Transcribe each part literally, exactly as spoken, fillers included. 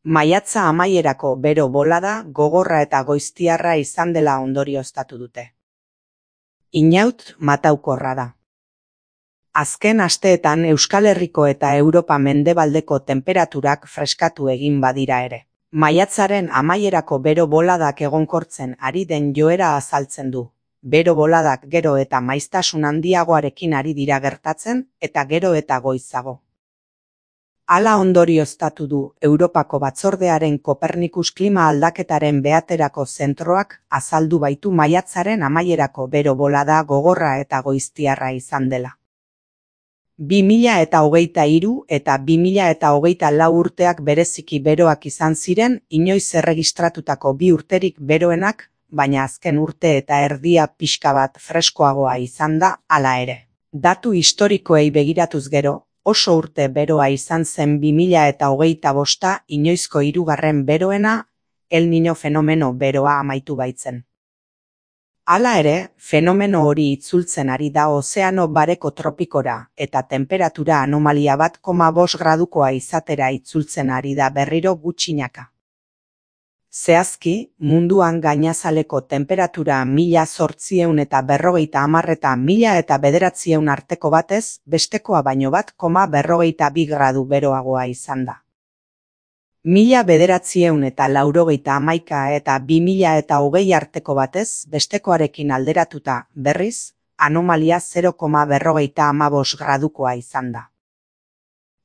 Maiatza amaierako bero bolada gogorra eta goiztiarra izan dela ondorioztatu dute. Inaut mataukorra da. Azken asteetan Euskal Herriko eta Europa mendebaldeko tenperaturak freskatu egin badira ere. Maiatzaren amaierako bero boladak egonkortzen ari den joera azaltzen du. Bero boladak gero eta maiztasun handiagoarekin ari dira gertatzen eta gero eta goizago. Hala ondorioztatu du Europako Batzordearen Kopernikus klima aldaketaren behaterako zentroak azaldu baitu maiatzaren amaierako bero bolada gogorra eta goiztiarra izan dela. bi mila eta hogeita hiru eta bi mila eta hogeita lau urteak bereziki beroak izan ziren inoiz erregistratutako bi urterik beroenak, baina azken urte eta erdia pixka bat freskoagoa izan da hala ere. Datu historikoei begiratuz gero, oso urte beroa izan zen bi mila eta hogeita bosta inoizko hirugarren beroena, El Niño fenomeno beroa amaitu baitzen. Hala ere, fenomeno hori itzultzen ari da ozeano bareko tropikora eta temperatura anomalia bat koma bost gradukoa izatera itzultzen ari da berriro gutxinaka. Zehazki, munduan gainazaleko temperatura mila zortziehun eta berrogeita hamar eta mila eta bederatzieun arteko batez, bestekoa baino bat koma berrogeita bi gradu beroagoa izan da. Mila bederatzieun eta laurogeita hamaika eta bi mila eta hogei arteko batez, bestekoarekin alderatuta, berriz, anomalia zero koma berrogeita hamabost gradukoa izan da.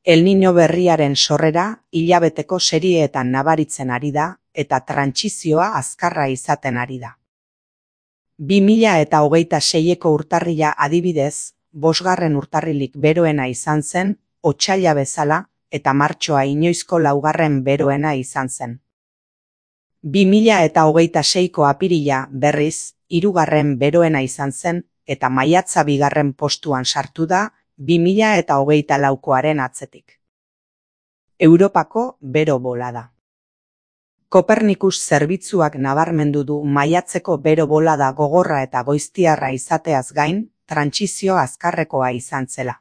El Niño berriaren sorrera, hilabeteko serieetan nabaritzen ari da, eta trantsizioa azkarra izaten ari da. bi mila eta hogeita seieko urtarrila adibidez, bosgarren urtarrilik beroena izan zen, otsaila bezala, eta martxoa inoizko laugarren beroena izan zen. bi mila eta hogeita seiko apirila berriz, hirugarren beroena izan zen, eta maiatza bigarren postuan sartu da, bi mila eta hogeita laukoaren atzetik. Europako bero bolada. Kopernikus zerbitzuak nabarmendu du maiatzeko bero bolada gogorra eta goiztiarra izateaz gain, trantsizio azkarrekoa izan zela.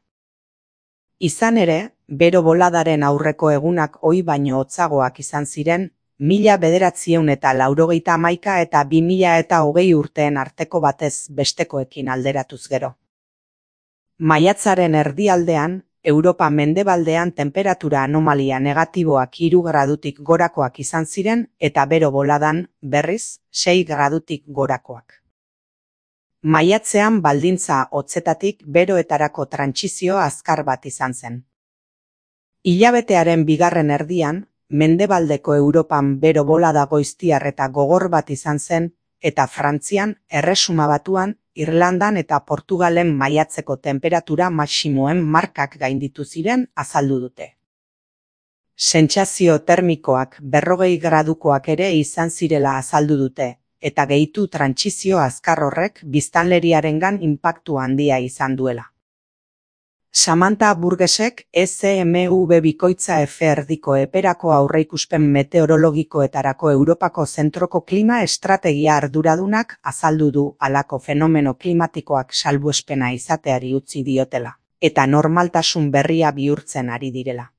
Izan ere, bero boladaren aurreko egunak ohi baino hotzagoak izan ziren, mila bederatzieun eta laurogeita hamaika eta bi mila eta hogei urteen arteko batez bestekoekin alderatuz gero. Maiatzaren erdialdean, Europa mendebaldean temperatura anomalia negatiboak hiru gradutik gorakoak izan ziren eta bero boladan, berriz, sei gradutik gorakoak. Maiatzean baldintza hotzetatik beroetarako trantsizio azkar bat izan zen. Hilabetearen bigarren erdian, mendebaldeko Europan bero bolada goiztiar eta gogor bat izan zen, eta Frantzian, Erresuma Batuan, Irlandan eta Portugalen maiatzeko temperatura maximoen markak gainditu ziren azaldu dute. Sentsazio termikoak berrogei gradukoak ere izan zirela azaldu dute, eta gehitu trantsizio azkar horrek biztanleriarengan inpaktu handia izan duela. Samantha Burgesek E Z M V bikoitza F erdiko eperako aurreikuspen meteorologikoetarako Europako zentroko klima estrategia arduradunak azaldu du halako fenomeno klimatikoak salbuespena izateari utzi diotela, eta normaltasun berria bihurtzen ari direla.